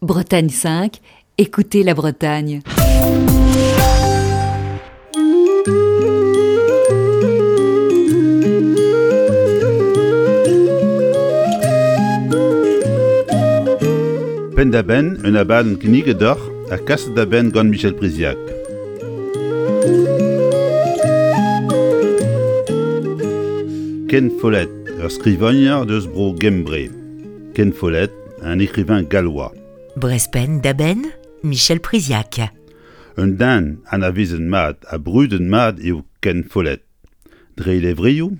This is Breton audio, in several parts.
Bretagne 5, écoutez la Bretagne. Penn-da-benn un abadenn kinniget deoc'h ha kaset da benn gant Michel Priziac. Ken Follett, ur skrivagner deus bro Gembre. Ken Follett, un écrivain gallois. Brezpenn da benn, Michel Priziac. Un den anavezet mat ha brudet mat eo Ken Follett. Dre e levrioù,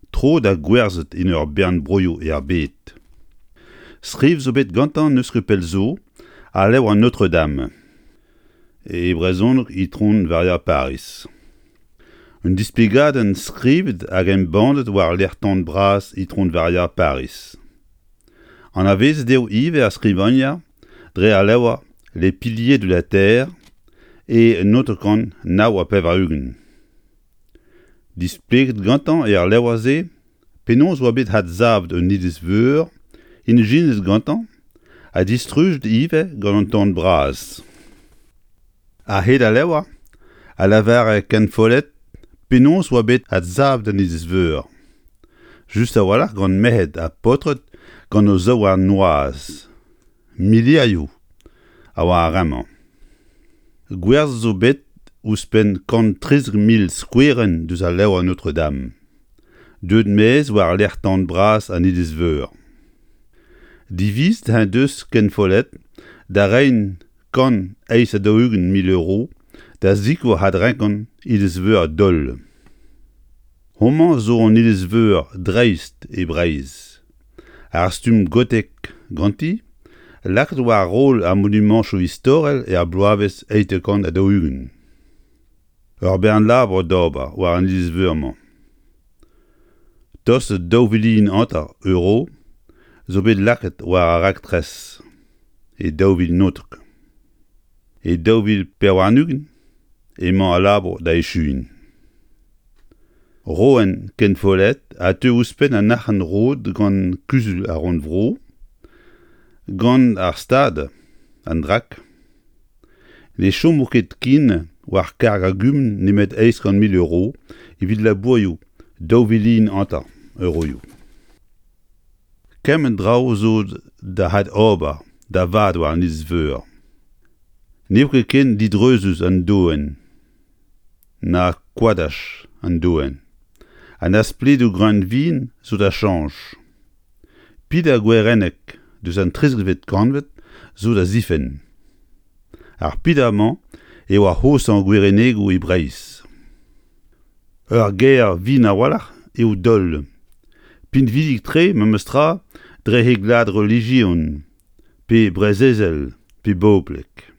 tro da gwerzhet en ur bern broioù er bed. Skriv zo bet gantañ n'eus ket pell zo, al levr an Notre-Dame. E brezhoneg Itron Varia Pariz. Un displegadenn skrivet hag embannet war lec'h-tan bras Itron Varia Pariz. Anavezet eo ivez ar skrivagner dre al levr Les piliers de la terre e 1989. Displeget gantañ er levr-se penaos oa bet adsavet un iliz-veur ijinet gantañ ha distrujet ivez gant an tan bras. A-hed al levr a lavare Ken Follett penaos oa bet adsavet an iliz-veur, just a-walc'h gant merc'hed ha paotred gant o zaouarn noazh. Milierioù a oa ar re-mañ. Gwerzhet zo bet ouzhpenn 113 mil skouerenn deus al levr Notre-Dame, deuet maez war-lerc'h tan bras an iliz-veur. Divizet en deus Ken Follett da reiñ 148 mil euro da sikour adrenkañ iliz-veur Dol. Homañ zo an iliz-veur dreist e Breizh. Ar stumm gotek ganti, lakaet war roll ar monumantoù istorel er bloavezh 140. Ur bern labour d'ober war an iliz-veur-mañ. Tost 2 vilion hanter euro zo bet lakaet war ar raktres e 2019. E 2024 emañ al labour da echuiñ. Roenn Ken Follett a teu ouzhpenn an arc'hant roet gant Kuzul ar Rannvro, gant ar Stad, an DRAC. Ne chomo ket ken war karg ar gumun nemet 800 mil euro evit labourioù 2 vilion hanter euroioù. Kement draoù zo da adober da vat war an iliz-veur. N'eo ket ken didreuzus an doenn na koadaj an doenn ha na spledoù greunvin zo da chañch. Peder gwerenneg deus an 13vet kantved zo da zifenn. Ar peder-mañ eo ar c'hoshañ gwerennegoù e Breizh. Ur gêr vihan a-walc'h eo Dol. Pinvidik-tre memestra dre he glad relijion pe brezezel pe boblek.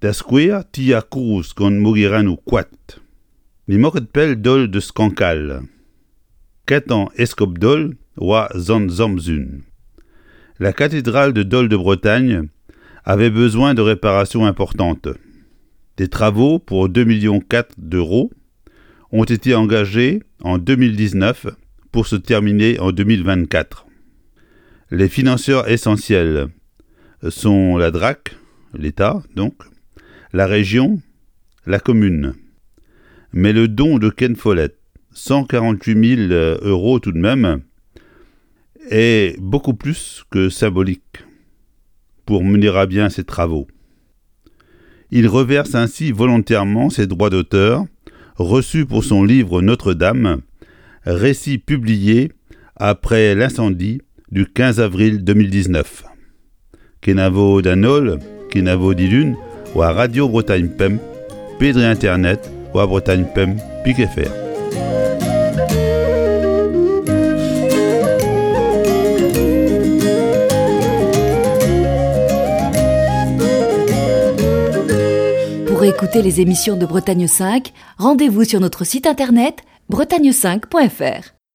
Da skouer tier kozh gant mogerennoù koad. N'emañ ket pell Dol deus Kankal. Kentañ eskob Dol oa Sant Samzun. La cathédrale de Dol de Bretagne avait besoin de réparations importantes. Des travaux pour 2,4 millions d'euros ont été engagés en 2019 pour se terminer en 2024. Les financeurs essentiels sont la DRAC, l'État donc, la région, la commune. Mais le don de Ken Follett, 148 000 euros tout de même, est beaucoup plus que symbolique pour mener à bien ces travaux. Il reverse ainsi volontairement ses droits d'auteur reçus pour son livre Notre-Dame, récit publié après l'incendie du 15 avril 2019. Kenavo d'an holl, kenavo dilun, war Radio Bretagne Pemp, pe dre internet war Bretagne Pemp pik FR. Pour écouter les émissions de Bretagne 5, rendez-vous sur notre site internet bretagne5.fr.